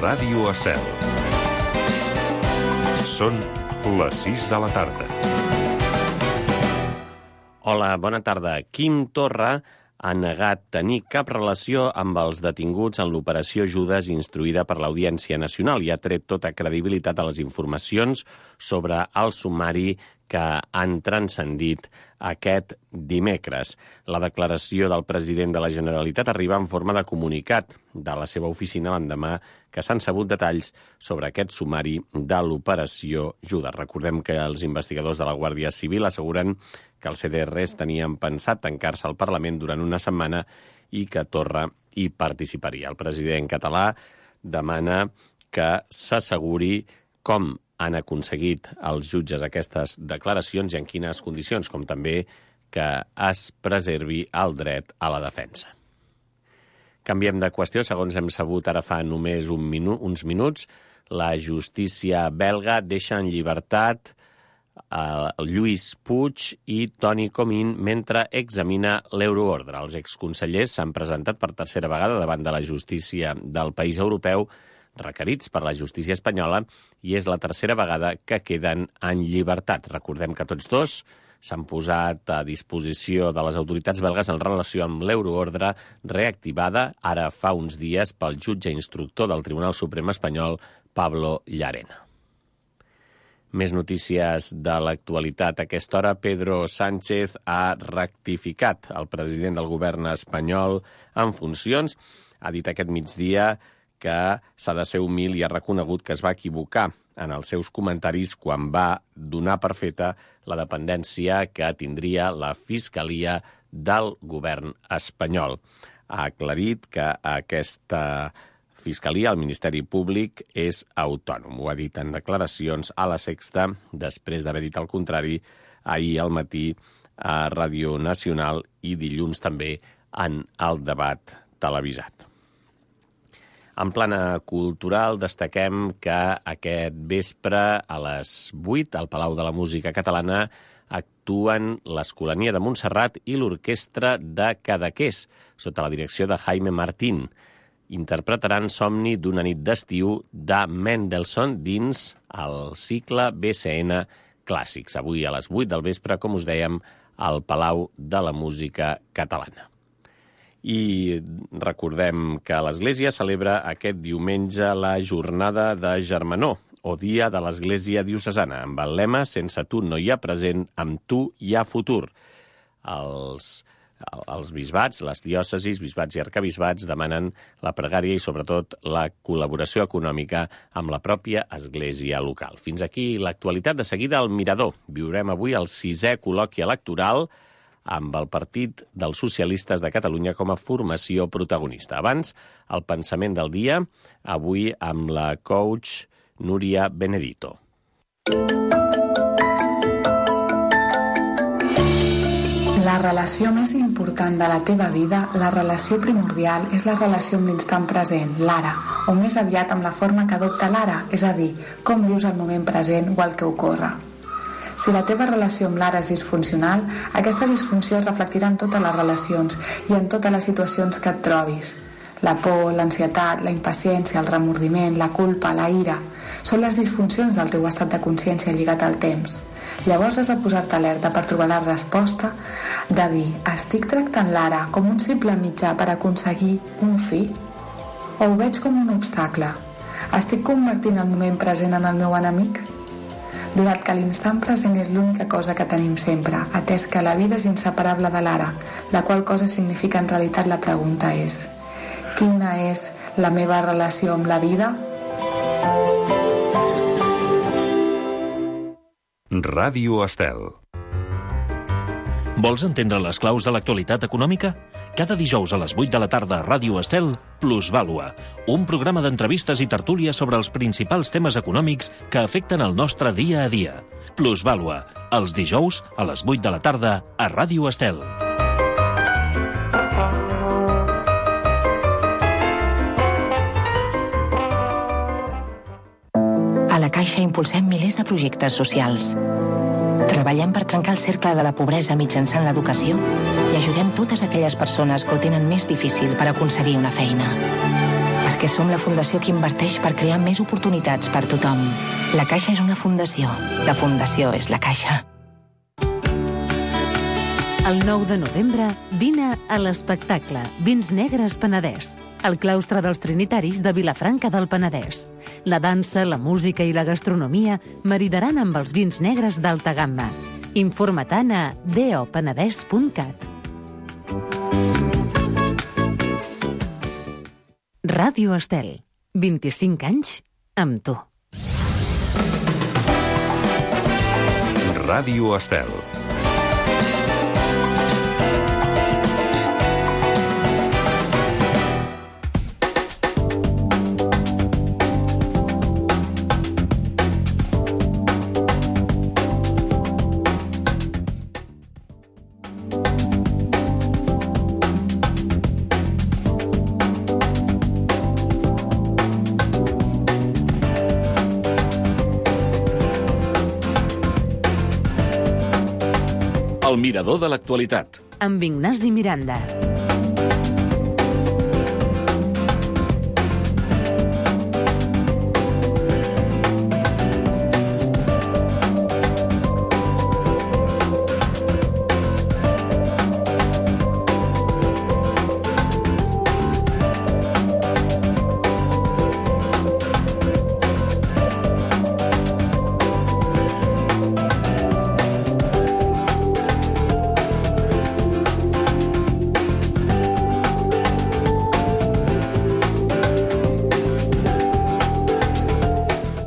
Ràdio Estel. Són les 6 de la tarda. Hola, bona tarda. Quim Torra ha negat tenir cap relació amb els detinguts en l'operació Judes instruïda per l'Audiència Nacional i ha tret tota credibilitat a les informacions sobre el sumari que han transcendit aquest dimecres. La declaració del president de la Generalitat arriba en forma de comunicat de la seva oficina l'endemà que s'han sabut detalls sobre aquest sumari de l'operació Judes. Recordem que els investigadors de la Guàrdia Civil asseguren que els CDRs tenien pensat tancar-se al Parlament durant una setmana i que Torra hi participaria. El president català demana que s'asseguri com han aconseguit els jutges aquestes declaracions i en quines condicions, com també que es preservi el dret a la defensa. Canviem de qüestió. Segons hem sabut ara fa només uns minuts, la justícia belga deixa en llibertat Lluís Puig i Toni Comín mentre examina l'euroordre. Els exconsellers s'han presentat per tercera vegada davant de la justícia del país europeu requerits per la justícia espanyola i és la tercera vegada que queden en llibertat. Recordem que tots dos s'han posat a disposició de les autoritats belgues en relació amb l'euroordre reactivada ara fa uns dies pel jutge instructor del Tribunal Suprem espanyol, Pablo Llarena. Més notícies de l'actualitat. A aquesta hora, Pedro Sánchez ha rectificat. El president del govern espanyol en funcions ha dit aquest migdia que s'ha de ser humil i ha reconegut que es va equivocar en els seus comentaris quan va donar per feta la dependència que tindria la Fiscalia del govern espanyol. Ha aclarit que aquesta Fiscalia, el Ministeri Públic, és autònom. Ho ha dit en declaracions a La Sexta, després d'haver dit el contrari ahir al matí a Ràdio Nacional i dilluns també en el debat televisat. En plana cultural, destaquem que aquest vespre a les 8 al Palau de la Música Catalana actuen l'Escolania de Montserrat i l'Orquestra de Cadaqués, sota la direcció de Jaime Martín. Interpretaran Somni d'una nit d'estiu de Mendelssohn dins el cicle BCN Clàssics. Avui a les 8 del vespre, com us dèiem, al Palau de la Música Catalana. I recordem que l'Església celebra aquest diumenge la jornada de Germanor, o Dia de l'Església Diocesana, amb el lema «Sense tu no hi ha present, amb tu hi ha futur». Els bisbats, les diòcesis, bisbats i arcabisbats demanen la pregària i, sobretot, la col·laboració econòmica amb la pròpia església local. Fins aquí l'actualitat. De seguida, al Mirador. Viurem avui el 6è col·loqui electoral amb el Partit dels Socialistes de Catalunya com a formació protagonista. Abans, el pensament del dia, avui amb la coach Núria Benedito. La relació més important de la teva vida, la relació primordial, és la relació amb l'instant present, l'ara, o més aviat amb la forma que adopta l'ara, és a dir, com vius el moment present o el que ocorre. Si la teva relació amb l'ara és disfuncional, aquesta disfunció es reflectirà en totes les relacions i en totes les situacions que et trobis. La por, l'ansietat, la impaciència, el remordiment, la culpa, la ira, són les disfuncions del teu estat de consciència lligat al temps. Llavors has de posar-te alerta per trobar la resposta de dir: estic tractant l'ara com un simple mitjà per aconseguir un fi? O ho veig com un obstacle? Estic convertint el moment present en el meu enemic? Donat que l'instant present és l'única cosa que tenim sempre, atès que la vida és inseparable de l'ara, la qual cosa significa en realitat la pregunta és: quina és la meva relació amb la vida? Ràdio Estel. Vols entendre les claus de l'actualitat econòmica? Cada dijous a les 8 de la tarda a Ràdio Estel, Plusvàlua, un programa d'entrevistes i tertúlies sobre els principals temes econòmics que afecten el nostre dia a dia. Plusvàlua, els dijous a les 8 de la tarda a Ràdio Estel. A la Caixa impulsem milers de projectes socials. Treballem per trencar el cercle de la pobresa mitjançant l'educació i ajudem totes aquelles persones que ho tenen més difícil per aconseguir una feina. Per perquè som la fundació que inverteix per crear més oportunitats per tothom. La Caixa és una fundació. La fundació és la Caixa. El 9 de novembre, vine a l'espectacle Vins Negres Penedès, al claustre dels Trinitaris de Vilafranca del Penedès. La dansa, la música i la gastronomia maridaran amb els vins negres d'alta gamma. Informa-te'n a dopenedès.cat. Ràdio Estel. 25 anys amb tu. Ràdio Estel. El mirador de l'actualitat. Amb Ignasi Miranda.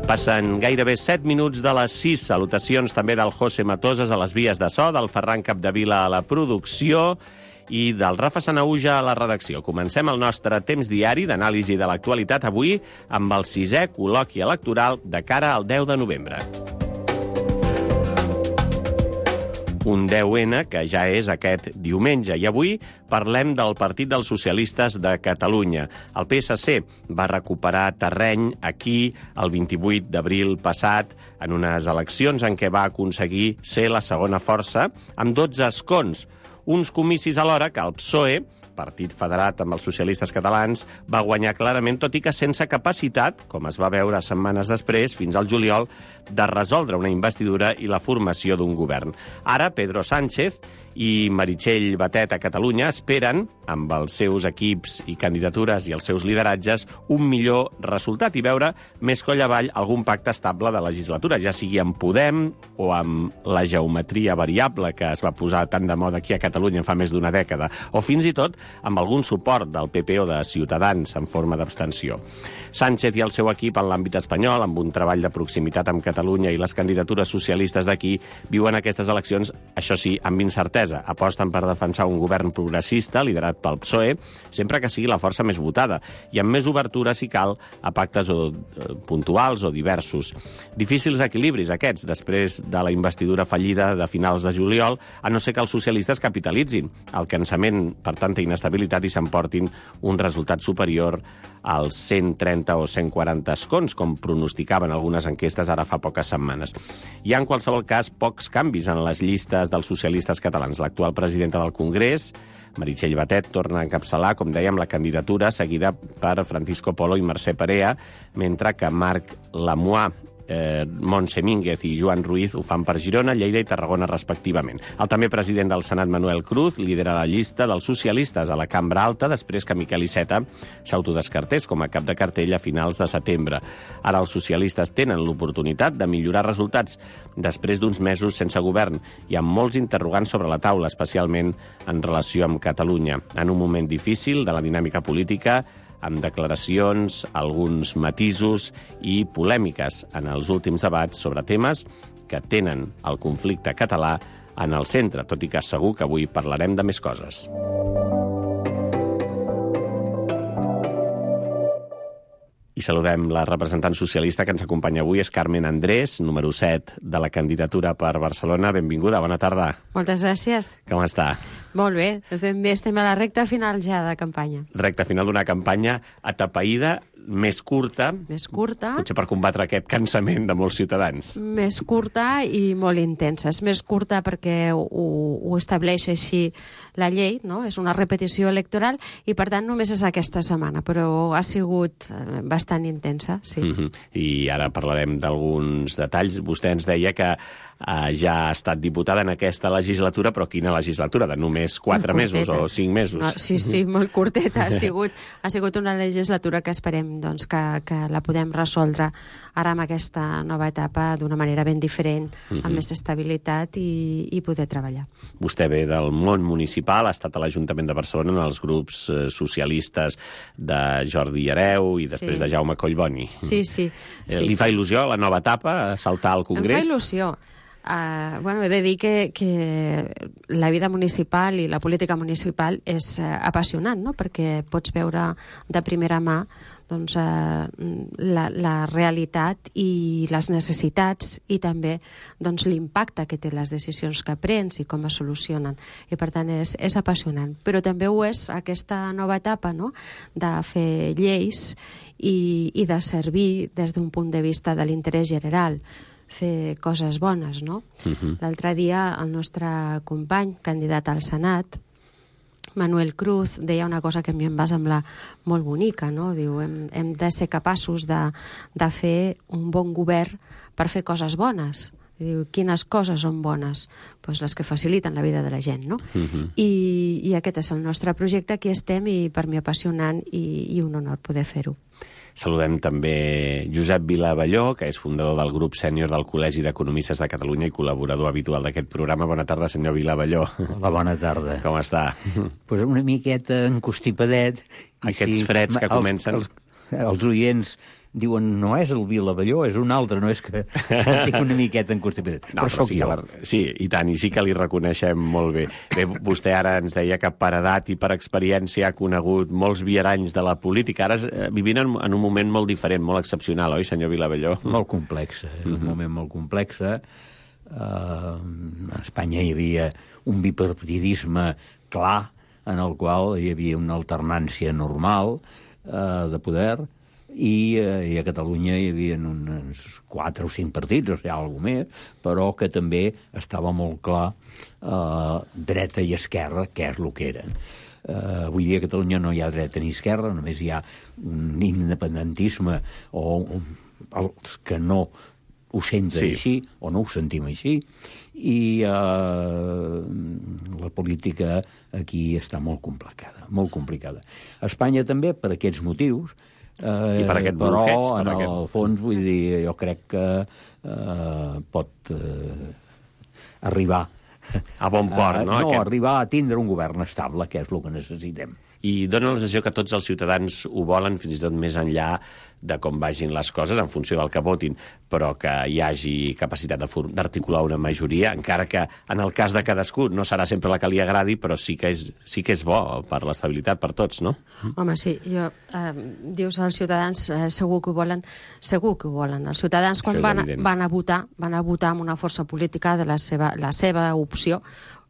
Passen gairebé 7 minuts de les 6. Salutacions també del José Matoses a les vies de so, del Ferran Capdevila a la producció i del Rafa Sanauja a la redacció. Comencem el nostre temps diari d'anàlisi de l'actualitat avui amb el 6è col·loqui electoral de cara al 10 de novembre. Un 10N que ja és aquest diumenge. I avui parlem del Partit dels Socialistes de Catalunya. El PSC va recuperar terreny aquí el 28 d'abril passat en unes eleccions en què va aconseguir ser la segona força amb 12 escons. Uns comicis alhora que el PSOE, partit federat amb els socialistes catalans, va guanyar clarament, tot i que sense capacitat, com es va veure setmanes després, fins al juliol, de resoldre una investidura i la formació d'un govern. Ara, Pedro Sánchez i Meritxell Batet a Catalunya esperen, amb els seus equips i candidatures i els seus lideratges, un millor resultat i veure més coll avall algun pacte estable de legislatura, ja sigui amb Podem o amb la geometria variable que es va posar tan de moda aquí a Catalunya fa més d'una dècada, o fins i tot amb algun suport del PP o de Ciutadans en forma d'abstenció. Sánchez i el seu equip en l'àmbit espanyol, amb un treball de proximitat amb Catalunya i les candidatures socialistes d'aquí, viuen aquestes eleccions, això sí, amb incertesa. Aposten per defensar un govern progressista liderat pel PSOE, sempre que sigui la força més votada, i amb més obertura, si cal, a pactes puntuals o diversos. Difícils equilibris aquests, després de la investidura fallida de finals de juliol, a no ser que els socialistes capitalitzin el cansament per tanta inestabilitat i s'emportin un resultat superior als 130 o 140 escons, com pronosticaven algunes enquestes ara fa poques setmanes. Hi ha, en qualsevol cas, pocs canvis en les llistes dels socialistes catalans. L'actual presidenta del Congrés, Meritxell Batet, torna a encapçalar, com dèiem, la candidatura seguida per Francisco Polo i Mercè Perea, mentre que Marc Lamois, Montse Mínguez i Joan Ruiz ho fan per Girona, Lleida i Tarragona respectivament. El també president del Senat, Manuel Cruz, lidera la llista dels socialistes a la Cambra Alta després que Miquel Iceta s'autodescartés com a cap de cartell a finals de setembre. Ara els socialistes tenen l'oportunitat de millorar resultats després d'uns mesos sense govern i amb molts interrogants sobre la taula, especialment en relació amb Catalunya. En un moment difícil de la dinàmica política, amb declaracions, alguns matisos i polèmiques en els últims debats sobre temes que tenen el conflicte català en el centre, tot i que segur que avui parlarem de més coses. I saludem la representant socialista que ens acompanya avui, és Carmen Andrés, número 7 de la candidatura per Barcelona. Benvinguda, bona tarda. Moltes gràcies. Com està? Molt bé, estem a la recta final ja de campanya. Recta final d'una campanya atapeïda més curta, potser per combatre aquest cansament de molts ciutadans. Més curta i molt intensa. És més curta perquè ho estableix així la llei, no? És una repetició electoral i, per tant, només és aquesta setmana, però ha sigut bastant intensa, sí. I ara parlarem d'alguns detalls. Vostè ens deia que ja ha estat diputada en aquesta legislatura, però quina legislatura? De només 4 mesos o 5 mesos? No, sí, molt curteta. Ha sigut una legislatura que esperem doncs, que la podem resoldre ara amb aquesta nova etapa d'una manera ben diferent, amb més estabilitat i poder treballar. Vostè ve del món municipal, ha estat a l'Ajuntament de Barcelona en els grups socialistes de Jordi Hereu i després de Jaume Collboni. Sí. Li fa il·lusió la nova etapa, saltar al Congrés? Em fa il·lusió. He de dir que la vida municipal i la política municipal és apassionant, no? Perquè pots veure de primera mà doncs, la realitat i les necessitats i també doncs, l'impacte que té les decisions que prens i com es solucionen. I per tant és apassionant. Però també ho és aquesta nova etapa, no? De fer lleis i de servir des d'un punt de vista de l'interès general, fer coses bones, no? L'altre dia el nostre company, candidat al Senat, Manuel Cruz, deia una cosa que a mi em va semblar molt bonica, no? Diu, hem de ser capaços de fer un bon govern per fer coses bones. Diu, quines coses són bones? Pues les que faciliten la vida de la gent, no? I aquest és el nostre projecte, aquí estem, i per mi apassionant i un honor poder fer-ho. Saludem també Josep Vilabelló, que és fundador del grup sènior del Col·legi d'Economistes de Catalunya i col·laborador habitual d'aquest programa. Bona tarda, senyor Vilabelló. Hola, bona tarda. Com està? Pues una miqueta encostipadet. Aquests freds que comencen... Els oients diuen, no és el Vilabelló, és un altre, no és que estic una miqueta encostipadet. No, però sí, sí, i tant, i sí que li reconeixem molt bé. Bé, vostè ara ens deia que per edat i per experiència ha conegut molts viaranys de la política. Ara vivint en un moment molt diferent, molt excepcional, oi, senyor Vilabelló? Molt complex, és un moment molt complex. A Espanya hi havia un bipartidisme clar, en el qual hi havia una alternància normal de poder, i a Catalunya hi havia uns 4 o 5 partits, o sigui, alguna més, però que també estava molt clar dreta i esquerra, què és el que eren. Avui dia a Catalunya no hi ha dreta ni esquerra, només hi ha un independentisme o els que no ho senten així o no ho sentim així, i la política aquí està molt complicada, molt complicada. A Espanya també, per aquests motius, i per aquest però bloqueig, en el fons, vull dir, jo crec que pot arribar a bon port, no? Arribar a tindre un govern estable, que és el que necessitem. I dona la sensació que tots els ciutadans ho volen, fins i tot més enllà de com vagin les coses, en funció del que votin, però que hi hagi capacitat d'articular una majoria, encara que en el cas de cadascú no serà sempre la que li agradi, però sí que és bo per l'estabilitat, per tots, no? Home, sí, dius als ciutadans segur que ho volen. Els ciutadans quan van a votar amb una força política de la seva opció,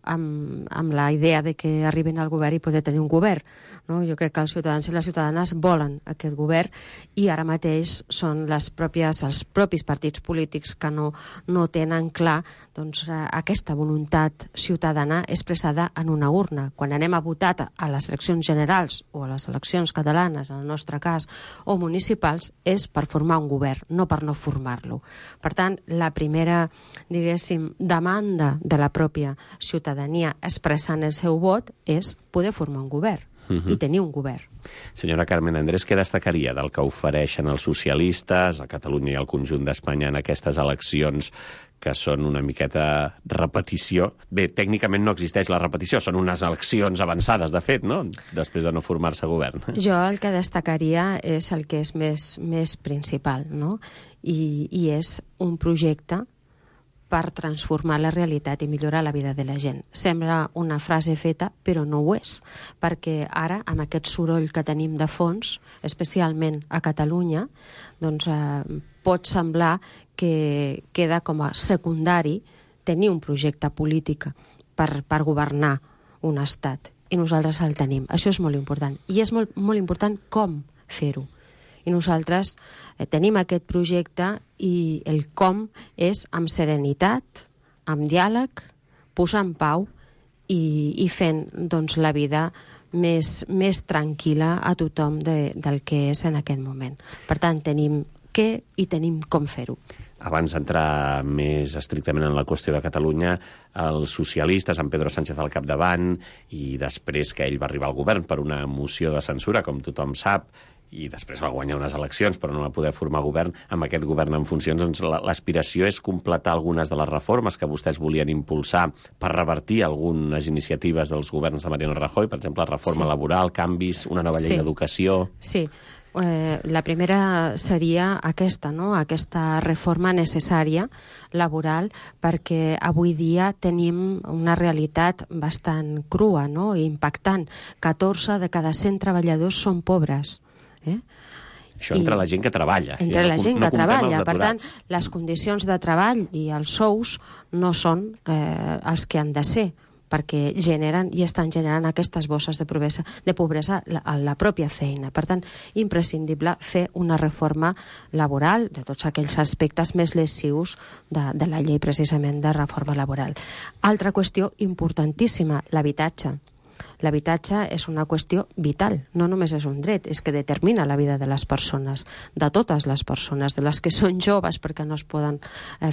amb la idea de que arribin al govern i poder tenir un govern. No? Jo crec que els ciutadans i les ciutadanes volen aquest govern i ara mateix són els propis partits polítics que no tenen clar doncs, aquesta voluntat ciutadana expressada en una urna. Quan anem a votar a les eleccions generals o a les eleccions catalanes, en el nostre cas, o municipals, és per formar un govern, no per no formar-lo. Per tant, la primera, diguéssim, demanda de la pròpia ciutadania expressant el seu vot és poder formar un govern i tenir un govern. Senyora Carmen Andrés, què destacaria del que ofereixen els socialistes a Catalunya i al conjunt d'Espanya en aquestes eleccions que són una miqueta repetició? Bé, tècnicament no existeix la repetició, són unes eleccions avançades, de fet, no?, després de no formar-se govern. Jo el que destacaria és el que és més principal, no?, i és un projecte per transformar la realitat i millorar la vida de la gent. Sembla una frase feta, però no ho és, perquè ara, amb aquest soroll que tenim de fons, especialment a Catalunya, doncs pot semblar que queda com a secundari tenir un projecte polític per governar un estat, i nosaltres el tenim. Això és molt important. I és molt important com fer-ho. I nosaltres tenim aquest projecte i el com és amb serenitat, amb diàleg, posant pau i fent doncs, la vida més tranquil·la a tothom del que és en aquest moment. Per tant, tenim què i tenim com fer-ho. Abans d'entrar més estrictament en la qüestió de Catalunya, els socialistes, amb Pedro Sánchez al capdavant, i després que ell va arribar al govern per una moció de censura, com tothom sap, i després va guanyar unes eleccions però no va poder formar govern, amb aquest govern en funcions, doncs l'aspiració és completar algunes de les reformes que vostès volien impulsar per revertir algunes iniciatives dels governs de Mariano Rajoy, per exemple, reforma laboral, canvis, una nova llei d'educació... Sí. La primera seria aquesta, no? Aquesta reforma necessària laboral, perquè avui dia tenim una realitat bastant crua, no? I impactant. 14 de cada 100 treballadors són pobres. Això entre la gent que treballa. Entre la gent que treballa. Per tant, les condicions de treball i els sous no són els que han de ser, perquè generen i estan generant aquestes bosses de pobresa a la pròpia feina. Per tant, imprescindible fer una reforma laboral de tots aquells aspectes més lesius de la llei precisament de reforma laboral. Altra qüestió importantíssima, l'habitatge. L'habitatge és una qüestió vital, no només és un dret, és que determina la vida de les persones, de totes les persones, de les que són joves perquè no es poden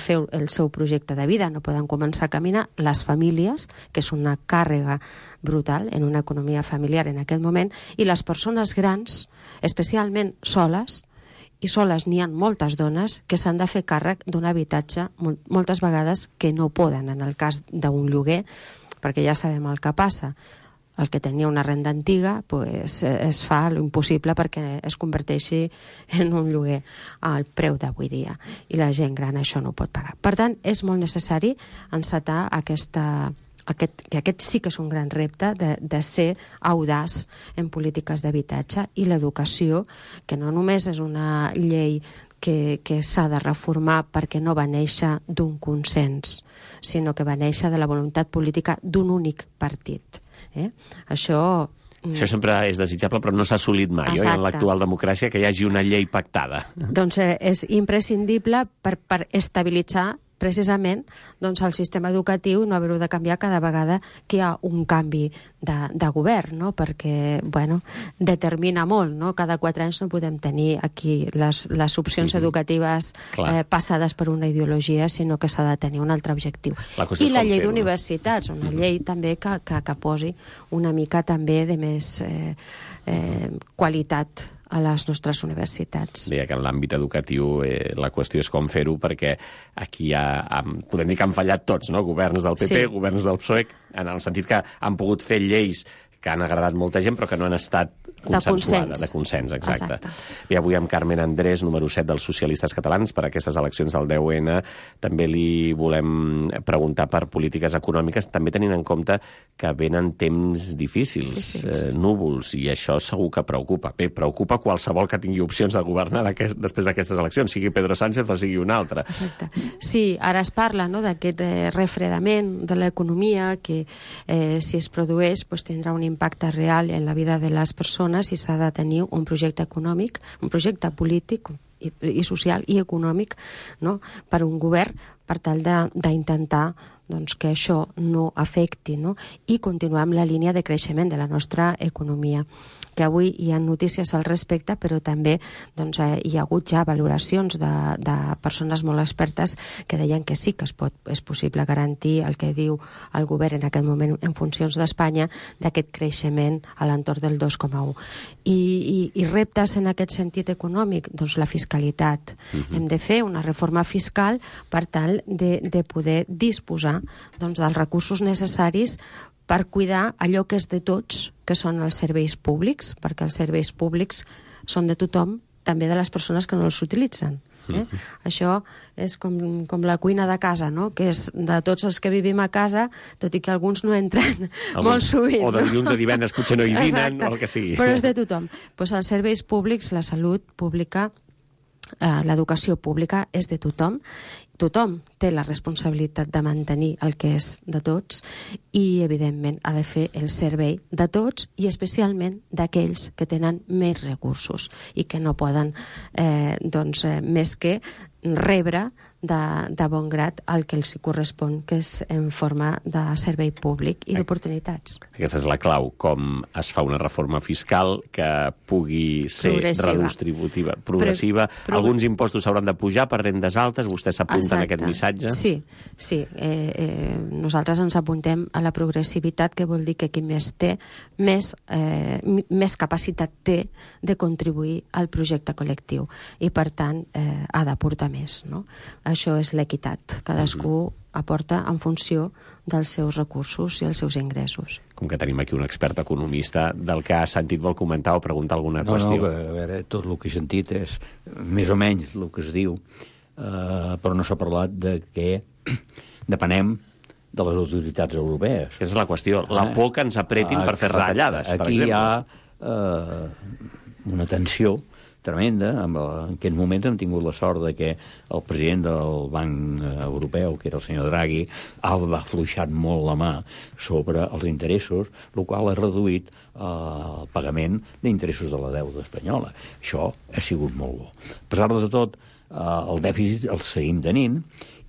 fer el seu projecte de vida, no poden començar a caminar, les famílies, que és una càrrega brutal en una economia familiar en aquest moment, i les persones grans, especialment soles, i soles n'hi ha moltes dones que s'han de fer càrrec d'un habitatge moltes vegades que no poden en el cas d'un lloguer, perquè ja sabem el que passa. El que tenia una renda antiga pues, es fa l'impossible perquè es converteixi en un lloguer al preu d'avui dia. I la gent gran això no ho pot pagar. Per tant, és molt necessari encetar que aquest sí que és un gran repte de ser audaç en polítiques d'habitatge, i l'educació, que no només és una llei que s'ha de reformar perquè no va néixer d'un consens, sinó que va néixer de la voluntat política d'un únic partit. Això sempre és desitjable, però no s'ha assolit mai, en l'actual democràcia, que hi hagi una llei pactada. Doncs és imprescindible per estabilitzar precisament doncs, el sistema educatiu, no haver-ho de canviar cada vegada que hi ha un canvi de govern, no? Perquè determina molt, no? Cada 4 anys no podem tenir aquí les opcions educatives passades per una ideologia, sinó que s'ha de tenir un altre objectiu. I la llei d'universitats, una llei també que posi una mica també de més qualitat a les nostres universitats. Deia que en l'àmbit educatiu la qüestió és com fer-ho, perquè aquí podem dir que han fallat tots, no? Governs del PP, governs del PSOE, en el sentit que han pogut fer lleis que han agradat molta gent però que no han estat consensuades, de consens, exacte. I avui amb Carmen Andrés, número 7 dels Socialistes Catalans, per aquestes eleccions del 10N, també li volem preguntar per polítiques econòmiques, també tenint en compte que venen temps difícils, núvols, i això segur que preocupa. Bé, preocupa qualsevol que tingui opcions de governar després d'aquestes eleccions, sigui Pedro Sánchez o sigui un altre. Exacte. Sí, ara es parla d'aquest refredament de l'economia que si es produeix tindrà un impacte real en la vida de les persones, i s'ha de tenir un projecte econòmic, un projecte polític i social i econòmic, no? Per un govern, per tal d'intentar que això no afecti, no? I continuar amb la línia de creixement de la nostra economia, que avui hi ha notícies al respecte, però també hi ha hagut ja valoracions de persones molt expertes que deien que sí que és possible garantir el que diu el govern en aquest moment en funcions d'Espanya, d'aquest creixement a l'entorn del 2,1. I reptes en aquest sentit econòmic, doncs la fiscalitat. Hem de fer una reforma fiscal per tal de poder disposar dels recursos necessaris per cuidar allò que és de tots, que són els serveis públics, perquè els serveis públics són de tothom, també de les persones que no els utilitzen. Això és com la cuina de casa, no? Que és de tots els que vivim a casa, tot i que alguns no entren molt sovint. O de dilluns a divendres potser no hi dinen, o el que sigui. Però és de tothom. Els serveis públics, la salut pública, l'educació pública és de tothom, tothom té la responsabilitat de mantenir el que és de tots i, evidentment, ha de fer el servei de tots i especialment d'aquells que tenen més recursos i que no poden més que rebre de bon grat el que els correspon, que és en forma de servei públic i d'oportunitats. Aquesta és la clau, com es fa una reforma fiscal que pugui ser redistributiva, progressiva. Alguns impostos s'hauran de pujar per rendes altes, vostè s'apunta en aquest missatge? Sí. Nosaltres ens apuntem a la progressivitat, que vol dir que qui més té, més capacitat té de contribuir al projecte col·lectiu i, per tant, ha d'aportar més, no? Això és l'equitat. Cadascú aporta en funció dels seus recursos i els seus ingressos. Com que tenim aquí un expert economista, del que ha sentit vol comentar o preguntar alguna qüestió? No, a veure, tot el que he sentit és més o menys el que es diu, però no s'ha parlat de que depenem de les autoritats europees. Aquesta és la qüestió, la por que ens apretin per fer retallades, per exemple. Aquí hi ha una tensió tremenda. En aquests moments hem tingut la sort de que el president del Banc Europeu, que era el senyor Draghi, ha afluixat molt la mà sobre els interessos, el qual ha reduït el pagament d'interessos de la deuda espanyola. Això ha sigut molt bo. A pesar de tot, el dèficit el seguim tenint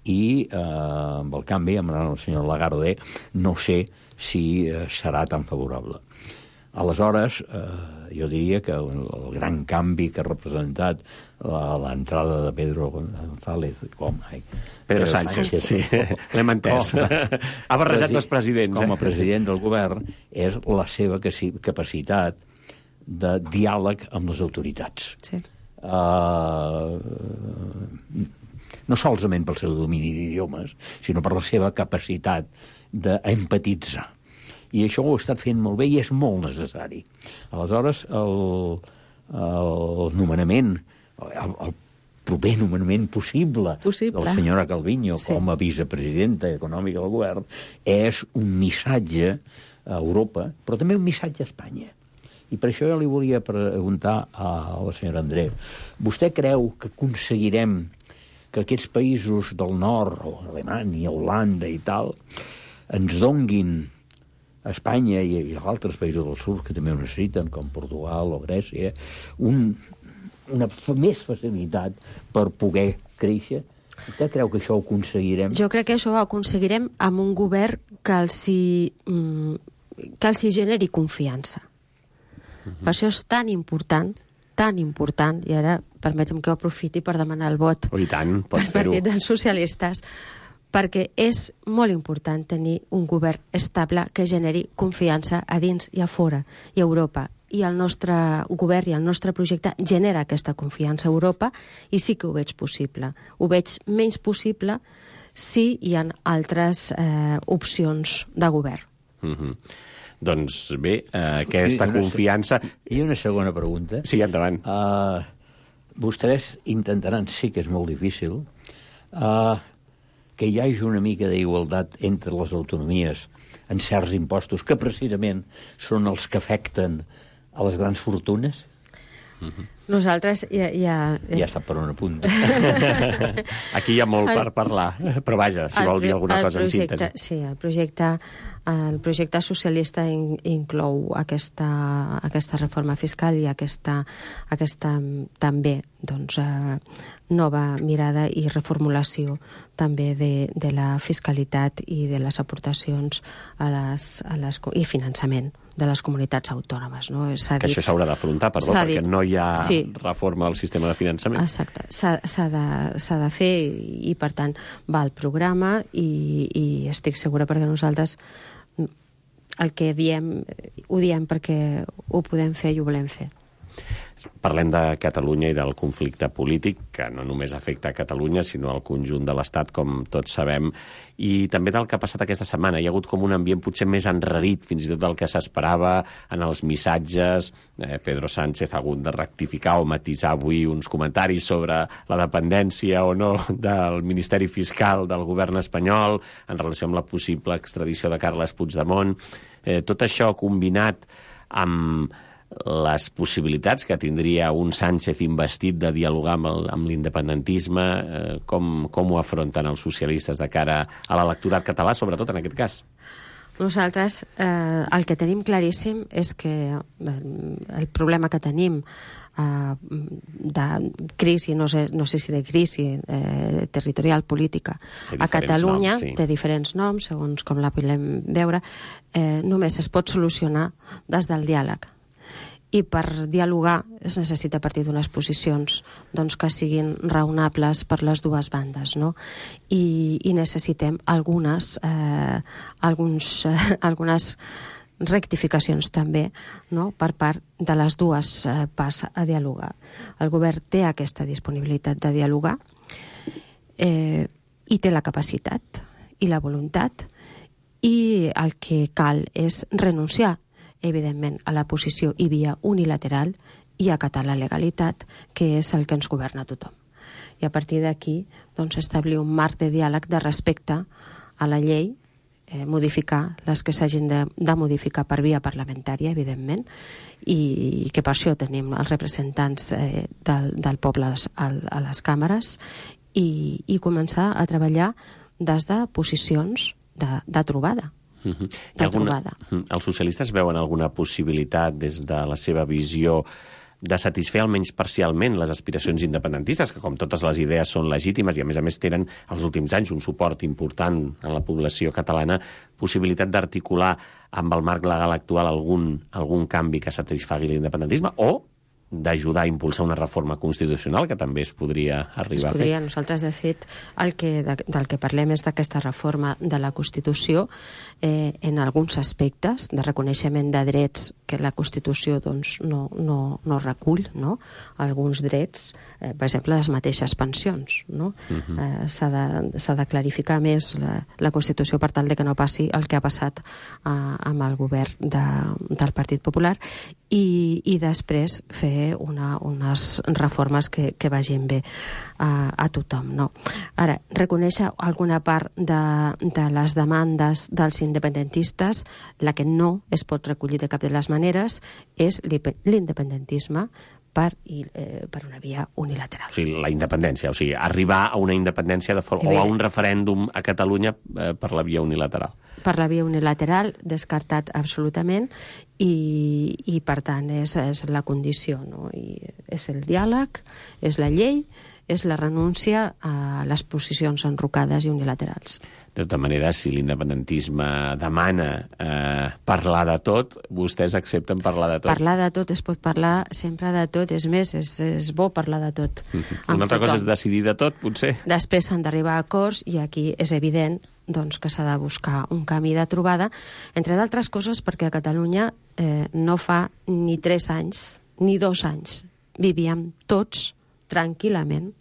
i amb el canvi amb el senyor Lagarde no sé si serà tan favorable. Aleshores, jo diria que el gran canvi que ha representat l'entrada de Pedro González, Pedro Sánchez, sí, l'hem entès. Ha barrejat dos presidents. Com a president del govern, és la seva capacitat de diàleg amb les autoritats. Sí. No solament pel seu domini d'idiomes, sinó per la seva capacitat d'empatitzar. I això ho ha estat fent molt bé i és molt necessari. Aleshores, el nomenament, el proper nomenament possible de la senyora Calviño com a vicepresidenta econòmica del govern és un missatge a Europa, però també un missatge a Espanya. I per això jo li volia preguntar a la senyora Andreu, vostè creu que aconseguirem que aquests països del nord, o Alemanya, Holanda i tal, ens donguin a Espanya i a altres països del sud que també ho necessiten, com Portugal o Grècia, una més facilitat per poder créixer? Vostè creu que això ho aconseguirem? Jo crec que això ho aconseguirem amb un govern que els generi confiança. Per això és tan important, i ara permetem que ho aprofiti per demanar el vot pel Partit dels Socialistes, perquè és molt important tenir un govern estable que generi confiança a dins i a fora, i a Europa. I el nostre govern i el nostre projecte genera aquesta confiança a Europa i sí que ho veig possible. Ho veig menys possible si hi ha altres opcions de govern. Doncs bé, aquesta confiança... I una segona pregunta. Sí, endavant. Vostès intentaran, sí que és molt difícil, que hi hagi una mica d'igualtat entre les autonomies en certs impostos, que precisament són els que afecten a les grans fortunes? Nosaltres ja sap per on apunta. Aquí hi ha molt per parlar, però vaja, si vol dir alguna cosa en síntesi. Sí, el projecte socialista inclou aquesta reforma fiscal i aquesta també nova mirada i reformulació també de la fiscalitat i de les aportacions i finançament de les comunitats autònomes. No? Que això s'haurà d'afrontar, perquè no hi ha reforma del sistema de finançament. Exacte. S'ha de fer i, per tant, va al programa i estic segura perquè nosaltres el que diem, ho diem perquè ho podem fer i ho volem fer. Parlem de Catalunya i del conflicte polític, que no només afecta a Catalunya, sinó al conjunt de l'Estat, com tots sabem, i també del que ha passat aquesta setmana. Hi ha hagut com un ambient potser més enrarit, fins i tot del que s'esperava en els missatges. Pedro Sánchez ha hagut de rectificar o matisar avui uns comentaris sobre la dependència o no del Ministeri Fiscal del govern espanyol en relació amb la possible extradició de Carles Puigdemont. Tot això combinat amb les possibilitats que tindria un Sánchez investit de dialogar amb l'independentisme, com ho afronten els socialistes de cara a l'electorat català, sobretot en aquest cas? Nosaltres el que tenim claríssim és que el problema que tenim de crisi, no sé si de crisi territorial política a Catalunya, té diferents noms, segons com la podem veure, només es pot solucionar des del diàleg. I per dialogar es necessita partir d'unes posicions que siguin raonables per les dues bandes, no? I necessitem algunes rectificacions també, no?, per part de les dues parts a dialogar. El govern té aquesta disponibilitat de dialogar i té la capacitat i la voluntat, i el que cal és renunciar, evidentment, a la posició i via unilateral i acatar la legalitat, que és el que ens governa a tothom. I a partir d'aquí, establir un marc de diàleg de respecte a la llei, modificar les que s'hagin de modificar per via parlamentària, evidentment, i que per això tenim els representants del poble a les càmeres, i començar a treballar des de posicions de trobada. Els socialistes veuen alguna possibilitat des de la seva visió de satisfer almenys parcialment les aspiracions independentistes, que com totes les idees són legítimes i a més tenen els últims anys un suport important en la població catalana, possibilitat d'articular amb el marc legal actual algun canvi que satisfagui l'independentisme, o d'ajudar a impulsar una reforma constitucional, que també es podria arribar a fer? Nosaltres, de fet, del que parlem és d'aquesta reforma de la Constitució en alguns aspectes de reconeixement de drets que la Constitució no recull, no? Alguns drets, per exemple, les mateixes pensions, no? S'ha de clarificar més la Constitució per tal de que no passi el que ha passat amb el govern del Partit Popular, i després fer unes reformes que vagin bé a tothom, no? Ara, reconèixer alguna part de les demandes dels independentistes, la que no es pot recollir de cap de les maneres és l'independentisme per una via unilateral. O sigui, la independència, o sigui, arribar a una independència o a un referèndum a Catalunya per la via unilateral. Per la via unilateral, descartat absolutament, i per tant és la condició, no? I és el diàleg, és la llei, és la renúncia a les posicions enrocades i unilaterals. De tota manera, si l'independentisme demana parlar de tot, vostès accepten parlar de tot? Parlar de tot, es pot parlar sempre de tot, és més, és bo parlar de tot. Una altra cosa és decidir de tot, potser? Després s'han d'arribar a acords, i aquí és evident que s'ha de buscar un camí de trobada, entre d'altres coses perquè a Catalunya no fa ni 3 anys, ni 2 anys, vivíem tots tranquil·lament,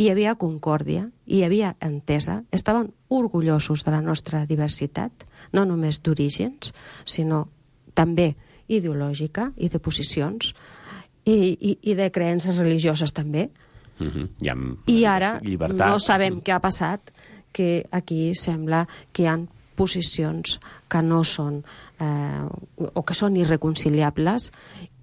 hi havia concòrdia, hi havia entesa, estaven orgullosos de la nostra diversitat, no només d'orígens, sinó també ideològica i de posicions, i de creences religioses també. I ara no sabem què ha passat, que aquí sembla que hi ha posicions que no són o que són irreconciliables,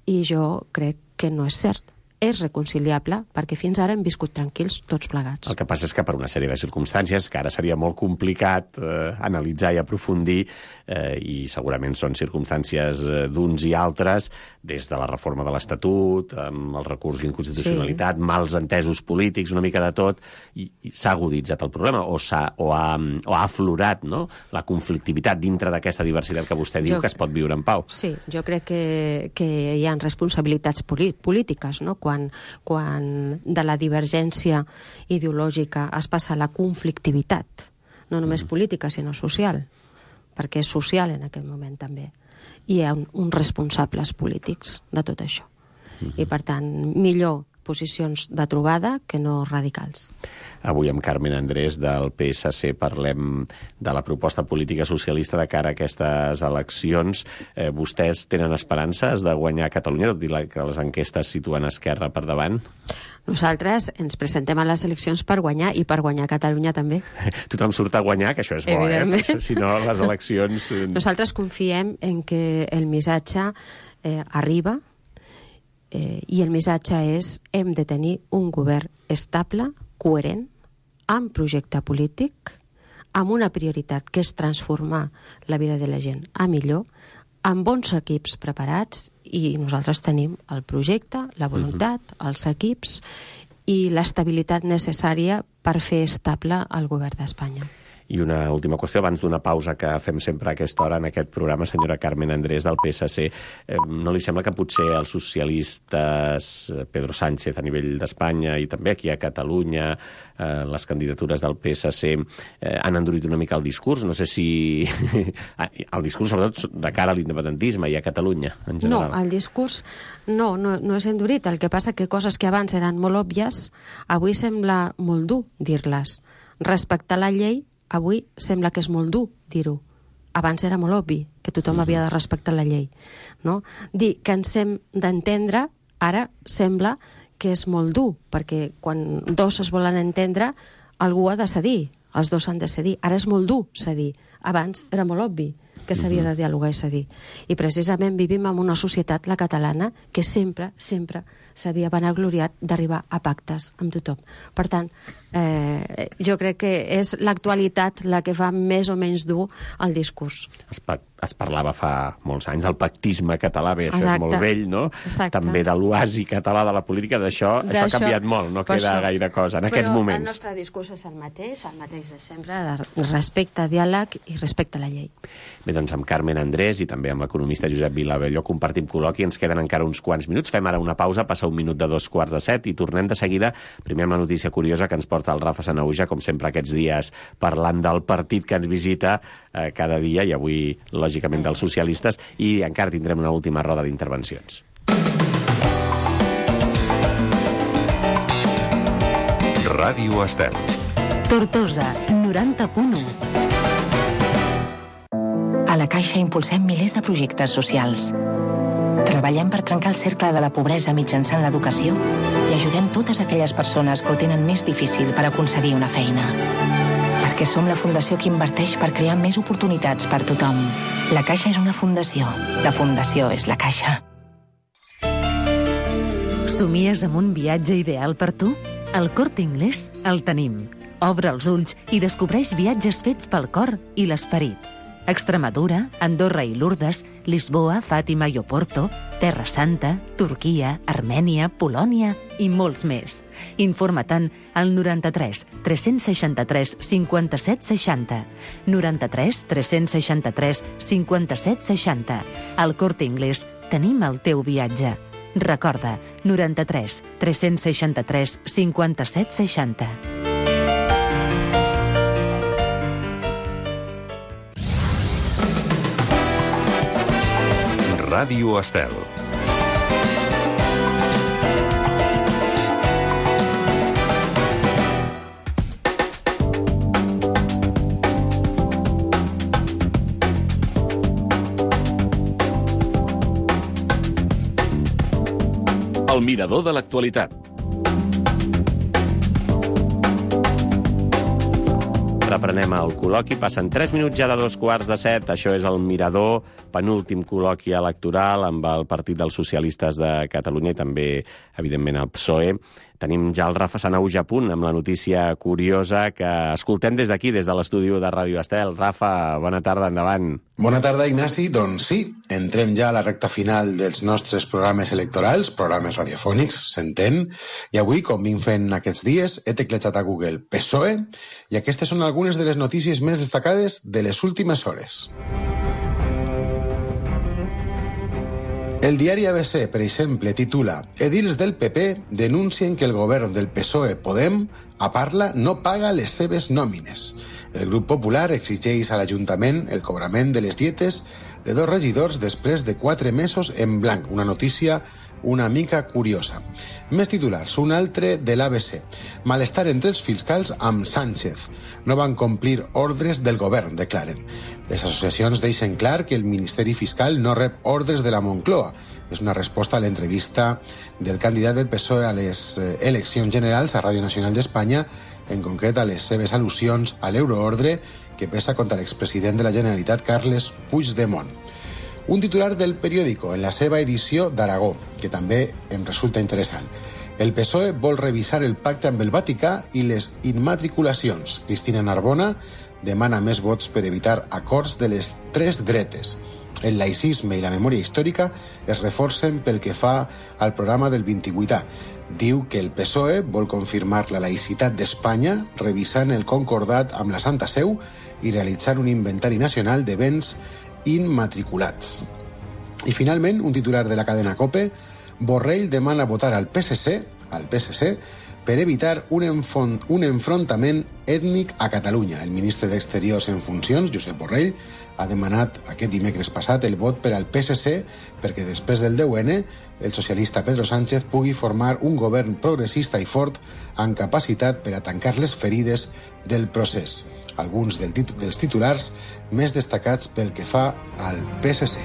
i jo crec que no és cert. És reconciliable, perquè fins ara hem viscut tranquils tots plegats. El que passa és que per una sèrie de circumstàncies, que ara seria molt complicat analitzar i aprofundir, i segurament són circumstàncies d'uns i altres, des de la reforma de l'Estatut, amb el recurs d'inconstitucionalitat, mals entesos polítics, una mica de tot, i s'ha aguditzat el problema, o ha aflorat, no?, la conflictivitat dintre d'aquesta diversitat que vostè diu que es pot viure en pau. Sí, jo crec que hi ha responsabilitats polítiques, no?, quan de la divergència ideològica es passa a la conflictivitat, no només política, sinó social, perquè és social en aquest moment també. I hi ha uns responsables polítics de tot això. I, per tant, millor posicions de trobada que no radicals. Avui amb Carmen Andrés del PSC parlem de la proposta política socialista de cara a aquestes eleccions. Vostès tenen esperances de guanyar a Catalunya, tot i que les enquestes situen Esquerra per davant? Nosaltres ens presentem a les eleccions per guanyar, i per guanyar Catalunya també. Tothom surt a guanyar, que això és bo, si no les eleccions... Nosaltres confiem en que el missatge arriba, i el missatge és: hem de tenir un govern estable, coherent, amb projecte polític, amb una prioritat que és transformar la vida de la gent a millor, amb bons equips preparats, i nosaltres tenim el projecte, la voluntat, els equips i l'estabilitat necessària per fer estable el govern d'Espanya. I una última qüestió, abans d'una pausa que fem sempre a aquesta hora en aquest programa, senyora Carmen Andrés, del PSC. No li sembla que potser els socialistes, Pedro Sánchez a nivell d'Espanya i també aquí a Catalunya, les candidatures del PSC, han endurit una mica el discurs? No sé si... el discurs, sobretot, de cara a l'independentisme i a Catalunya, en general. No, el discurs no és endurit. El que passa que coses que abans eren molt òbvies, avui sembla molt dur dir-les. Respectar la llei, avui sembla que és molt dur dir-ho. Abans era molt obvi que tothom havia de respectar la llei. No? Dir que ens hem d'entendre, ara sembla que és molt dur, perquè quan dos es volen entendre, algú ha de cedir, els dos han de cedir. Ara és molt dur cedir. Abans era molt obvi que s'havia de dialogar i cedir. I precisament vivim en una societat, la catalana, que sempre s'havia vanagloriat d'arribar a pactes amb tothom. Per tant, jo crec que és l'actualitat la que fa més o menys dur el discurs. Es parlava fa molts anys del pactisme català, bé, això és molt vell, no? Exacte. També de l'oasi català de la política, d'això ha canviat molt, no queda gaire cosa en aquests moments. Però el nostre discurs és el mateix de sempre, de respecte, diàleg i respecte a la llei. Bé, doncs amb Carmen Andrés i també amb l'economista Josep Vilabelló compartim col·loqui, ens queden encara uns quants minuts, fem ara una pausa, passa 1 minut de 2:45 i tornem de seguida, primer amb la notícia curiosa que ens porta el Rafa Sanahuja, com sempre aquests dies, parlant del partit que ens visita cada dia, i avui, lògicament, dels socialistes, i encara tindrem una última roda d'intervencions. Ràdio Estel. Tortosa, 90.1. A la Caixa impulsem milers de projectes socials. Treballem per trencar el cercle de la pobresa mitjançant l'educació i ajudem totes aquelles persones que ho tenen més difícil per aconseguir una feina. Perquè som la fundació que inverteix per crear més oportunitats per tothom. La Caixa és una fundació. La fundació és la Caixa. Somies amb un viatge ideal per tu? Al Corte Inglés el tenim. Obre els ulls i descobreix viatges fets pel cor i l'esperit. Extremadura, Andorra i Lourdes, Lisboa, Fàtima i Oporto, Terra Santa, Turquia, Armènia, Polònia i molts més. Informa-te'n al 93 363 57 60. 93 363 57 60. Al Corte Inglés tenim el teu viatge. Recorda, 93 363 57 60. Ràdio Estel. El mirador de l'actualitat. Reprenem el col·loqui, passen 3 minuts ja de 2:15. Això és el Mirador, penúltim col·loqui electoral amb el Partit dels Socialistes de Catalunya i també, evidentment, el PSOE. Tenim ja el Rafa Sanahuja a punt amb la notícia curiosa que escoltem des d'aquí, des de l'estudi de Ràdio Estel. Rafa, bona tarda, endavant. Bona tarda, Ignasi. Doncs sí, entrem ja a la recta final dels nostres programes electorals, programes radiofònics, s'entén, i avui, com vinc fent aquests dies, he teclejat a Google PSOE i aquestes són algunes de les notícies més destacades de les últimes hores. El diari ABC, per exemple, titula «Edils del PP denuncien que el govern del PSOE-Podem a Parla no paga les seves nòmines». El grup popular exigeix a l'Ajuntament el cobrament de les dietes de 2 regidors després de 4 mesos en blanc. Una notícia una mica curiosa. Més titulars, un altre de l'ABC. Malestar entre els fiscals amb Sánchez. No van complir ordres del govern, declaren. Les associacions deixen clar que el Ministeri Fiscal no rep ordres de la Moncloa. És una resposta a l'entrevista del candidat del PSOE a les eleccions generals a Ràdio Nacional d'Espanya, en concret a les seves al·lusions a l'euroordre que pesa contra l'expresident de la Generalitat, Carles Puigdemont. Un titular del periòdico en la seva edició d'Aragó, que també em resulta interessant. El PSOE vol revisar el pacte amb el Vaticà i les immatriculacions. Cristina Narbona demana més vots per evitar acords de les tres dretes. El laïcisme i la memòria històrica es reforcen pel que fa al programa del 28A. Diu que el PSOE vol confirmar la laïcitat d'Espanya revisant el concordat amb la Santa Seu i realitzar un inventari nacional de béns immatriculats. I finalment, un titular de la cadena COPE, Borrell demana votar al PSC per evitar un enfrontament ètnic a Catalunya. El ministre d'Exteriors en funcions, Josep Borrell, ha demanat aquest dimecres passat el vot per al PSC perquè després del 10N el socialista Pedro Sánchez pugui formar un govern progressista i fort amb capacitat per a tancar les ferides del procés. Alguns dels titulars més destacats pel que fa al PSC.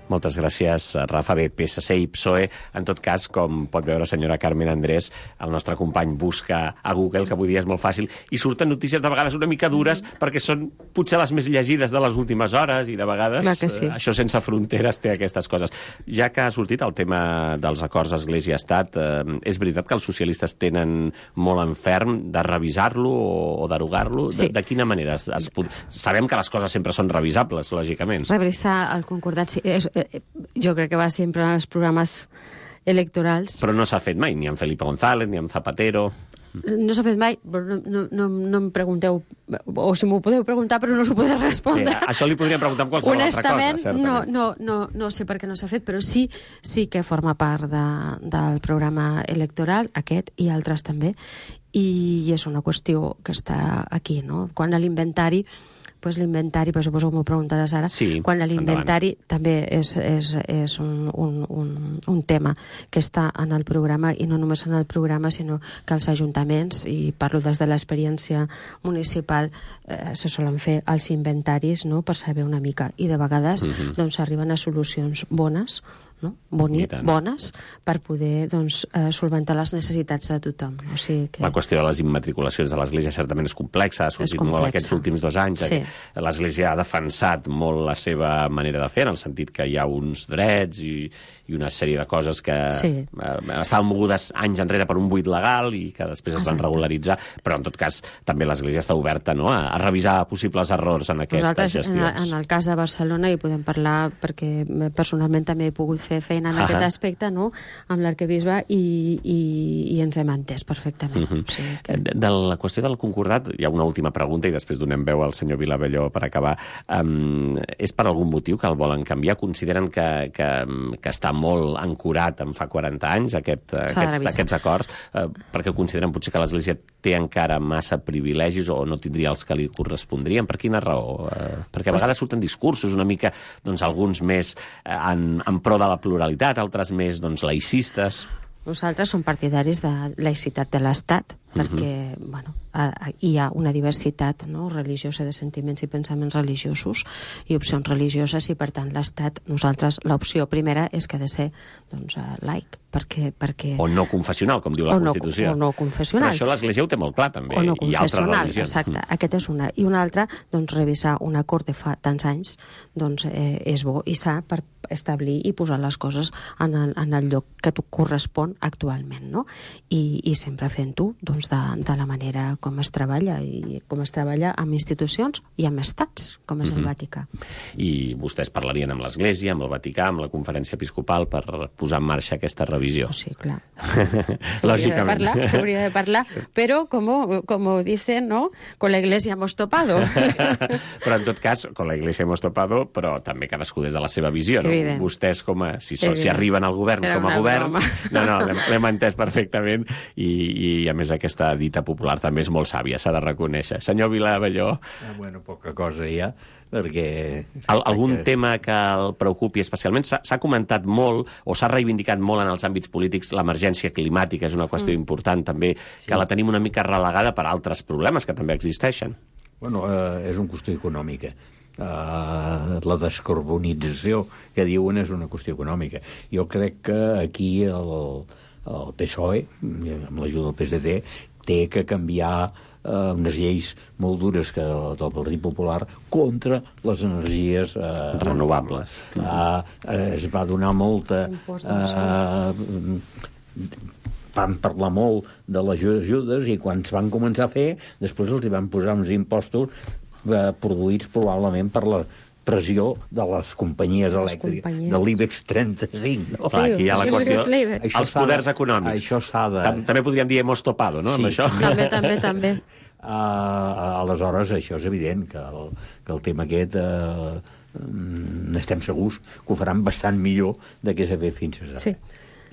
Moltes gràcies, Rafa. Bé, PSC i PSOE, en tot cas, com pot veure senyora Carmen Andrés, el nostre company busca a Google, que avui dia és molt fàcil, i surten notícies de vegades una mica dures, perquè són potser les més llegides de les últimes hores, i de vegades sí. Això sense fronteres té aquestes coses. Ja que ha sortit el tema dels acords Església-Estat, és veritat que els socialistes tenen molt en ferm de revisar-lo o derogar-lo? Sí. De quina manera? Sabem que les coses sempre són revisables, lògicament. Revisar el concordat, sí. Jo crec que va sempre en els programes electorals. Però no s'ha fet mai, ni amb Felipe González, ni amb Zapatero. No s'ha fet mai, però no em pregunteu, o si m'ho podeu preguntar, però no us ho podeu respondre. Sí, això li podríem preguntar amb qualsevol altra cosa, certament. No sé per què no s'ha fet, però sí que forma part del programa electoral, aquest i altres també, i és una qüestió que està aquí, no? Quan a l'inventari, però suposo que m'ho preguntaràs ara, sí, quan l'inventari també és un tema que està en el programa, i no només en el programa, sinó que els ajuntaments, i parlo des de l'experiència municipal, se solen fer els inventaris, no?, per saber una mica, i de vegades doncs arriben a solucions bones, no? Bones, per poder solventar les necessitats de tothom. O sigui que... La qüestió de les immatriculacions de l'Església certament és complexa, ha sortit molt aquests últims 2 anys. Sí. L'Església ha defensat molt la seva manera de fer, en el sentit que hi ha uns drets i una sèrie de coses que estaven mogudes anys enrere per un buit legal i que després es van regularitzar, però en tot cas també l'Església està oberta, no?, a revisar possibles errors en aquestes gestions. En el cas de Barcelona hi podem parlar, perquè personalment també he pogut fer feina en aquest aspecte, no?, amb l'arquebisbe, i ens hem entès perfectament. O sigui que... De la qüestió del concordat, hi ha una última pregunta i després donem veu al senyor Vilabelló per acabar. És per algun motiu que el volen canviar? Consideren que està molt ancorat en fa 40 anys aquests acords, perquè consideren potser que l'Església té encara massa privilegis o no tindria els que li correspondrien? Per quina raó? Perquè a vegades surten discursos una mica, alguns més en pro de la pluralitat, altres més laïcistes. Nosaltres som partidaris de laïcitat de l'Estat, perquè hi ha una diversitat, no?, religiosa, de sentiments i pensaments religiosos i opcions religioses, i per tant l'Estat, nosaltres, l'opció primera és que ha de ser laic, perquè... O no confessional, com diu la Constitució. O no confessional. Però això l'Església ho té molt clar, també. O no confessional, exacte. Aquest és una. I una altra, revisar un acord de fa tants anys, és bo i s'ha per establir i posar les coses en el lloc que correspon actualment, no? I sempre fent-ho, de la manera com es treballa, i com es treballa amb institucions i amb estats, com és el Vaticà. I vostès parlarien amb l'Església, amb el Vaticà, amb la Conferència Episcopal per posar en marxa aquesta revisió. Sí, clar. Lògicament. S'hauria de parlar, però, como dicen, ¿no?, con la Iglesia hemos topado. Però, en tot cas, con la Iglesia hemos topado, però també cadascú des de la seva visió, no? Evident. Vostès, si arriben al govern com a govern... No, l'hem entès perfectament, i a més aquesta dita popular també és molt sàvia, s'ha de reconèixer. Senyor Vilabelló... Poca cosa hi ha, perquè... Algun tema que el preocupi especialment? S'ha comentat molt, o s'ha reivindicat molt en els àmbits polítics, l'emergència climàtica és una qüestió important també, que la tenim una mica relegada per altres problemes que també existeixen. És una qüestió econòmica. La descarbonització que diuen és una qüestió econòmica. Jo crec que aquí el PSOE, amb l'ajuda del PSD, té que canviar unes lleis molt dures que del Partit Popular contra les energies renovables. Es va donar molta... van parlar molt de les ajudes i quan es van començar a fer, després els hi van posar uns impostos produïts probablement per la pressió de les companyies elèctriques, de l'IBEX 35. No? Clar, aquí hi ha la qüestió, els poders econòmics. Això s'ha de... També podríem dir hemos topado, no? Sí, amb això. També. Aleshores, això és evident, que el tema aquest estem segurs que ho faran bastant millor de què s'ha fet fins ara. Sí.